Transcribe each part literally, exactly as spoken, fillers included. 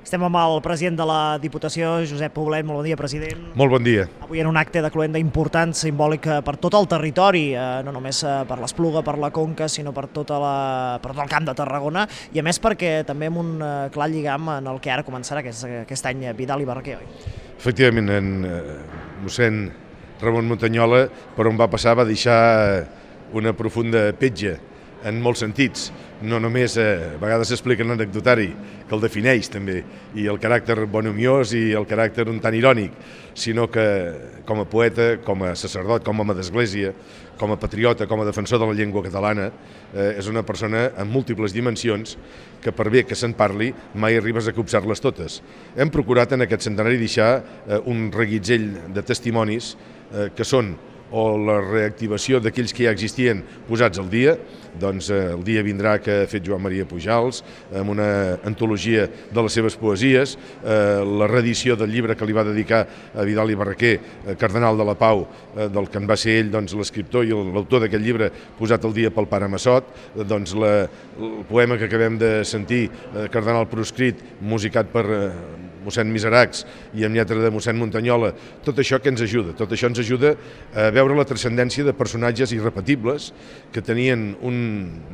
Estem amb el president de la Diputació, Josep Poblet. Molt bon dia, president. Molt bon dia. Avui en un acte de cloenda important, simbòlic per tot el territori, eh, no només per l'Espluga, per la Conca, sinó per, tota la, per tot el Camp de Tarragona, i a més perquè també amb un eh, clar lligam en el que ara començarà, que és aquest any Vidal i Barraquer, oi? Efectivament, en eh, mossèn Ramon Muntanyola, per on va passar, va deixar una profunda petja, en molts sentits. No només, eh, a vegades s'explica en l'anecdotari, que el defineix també, i el caràcter bonomiós i el caràcter un tant irònic, sinó que com a poeta, com a sacerdot, com a home d'església, com a patriota, com a defensor de la llengua catalana, eh, és una persona amb múltiples dimensions que per bé que se'n parli mai arribes a copsar-les totes. Hem procurat en aquest centenari deixar eh, un reguitzell de testimonis eh, que són o la reactivació d'aquells que ja existien posats al dia, doncs eh, el dia vindrà que ha fet Joan Maria Pujals, amb una antologia de les seves poesies, eh, la reedició del llibre que li va dedicar a Vidal i Barraquer, eh, Cardenal de la Pau, eh, del que en va ser ell doncs, l'escriptor i l'autor d'aquest llibre posat al dia pel pare Massot, eh, doncs la, el poema que acabem de sentir, eh, Cardenal proscrit, musicat per eh, mossèn Miseracs i amb lletra de mossèn Muntanyola, tot això que ens ajuda, tot això ens ajuda a veure la transcendència de personatges irrepetibles que tenien un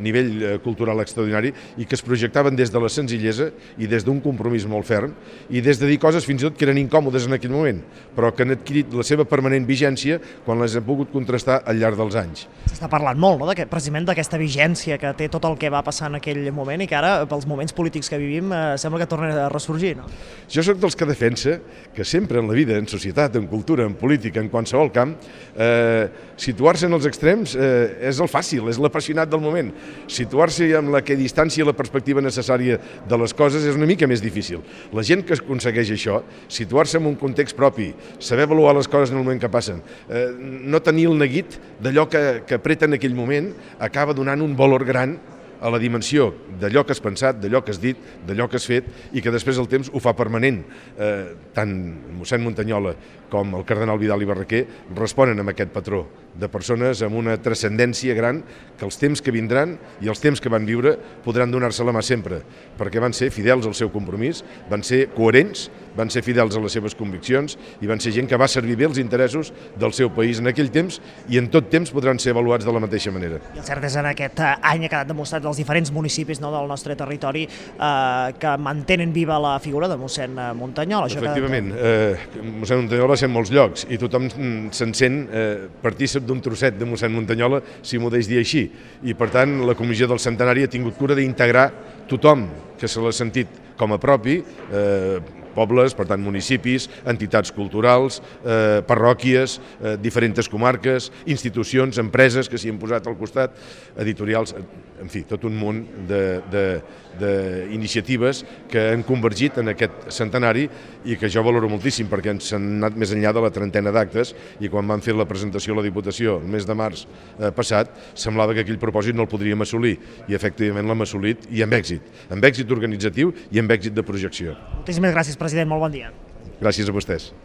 nivell cultural extraordinari i que es projectaven des de la senzillesa i des d'un compromís molt ferm i des de dir coses fins i tot que eren incòmodes en aquell moment, però que han adquirit la seva permanent vigència quan les hem pogut contrastar al llarg dels anys. S'està parlant molt, no?, precisament d'aquesta vigència que té tot el que va passar en aquell moment i que ara, pels moments polítics que vivim, eh, sembla que torna a ressorgir, no? Jo soc dels que defensa que sempre en la vida, en societat, en cultura, en política, en qualsevol camp, eh, situar-se en els extrems eh, és el fàcil, és l'apassionat del moment. Situar-se amb la que distància i la perspectiva necessària de les coses és una mica més difícil. La gent que aconsegueix això, situar-se en un context propi, saber avaluar les coses en el moment que passen, eh, no tenir el neguit d'allò que, que apreta en aquell moment, acaba donant un valor gran a la dimensió d'allò que has pensat, d'allò que has dit, d'allò que has fet i que després el temps ho fa permanent. Eh, tant mossèn Muntanyola com el cardenal Vidal i Barraquer responen amb aquest patró de persones amb una transcendència gran que els temps que vindran i els temps que van viure podran donar-se la mà sempre, perquè van ser fidels al seu compromís, van ser coherents, van ser fidels a les seves conviccions i van ser gent que va servir bé els interessos del seu país en aquell temps i en tot temps podran ser avaluats de la mateixa manera. I el cert és en aquest any ha quedat demostrat dels diferents municipis, no, del nostre territori eh, que mantenen viva la figura de mossèn Muntanyola. Efectivament, que... eh, mossèn Muntanyola va ser en molts llocs i tothom se'n sent eh, partícip d'un trosset de mossèn Muntanyola, si m'ho deix dir així. I per tant la comissió del centenari ha tingut cura d'integrar tothom que se l'ha sentit com a propi, eh, pobles, per tant municipis, entitats culturals, eh, parròquies, eh, diferents comarques, institucions, empreses que s'hi han posat al costat, editorials, en fi, tot un munt d'iniciatives que han convergit en aquest centenari i que jo valoro moltíssim perquè ens han anat més enllà de la trentena d'actes i quan van fer la presentació a la Diputació el mes de març eh, passat semblava que aquell propòsit no el podríem assolir i efectivament l'hem assolit i amb èxit, amb èxit organitzatiu i amb èxit de projecció. Moltíssimes gràcies, president, molt bon dia. Gràcies a vostès.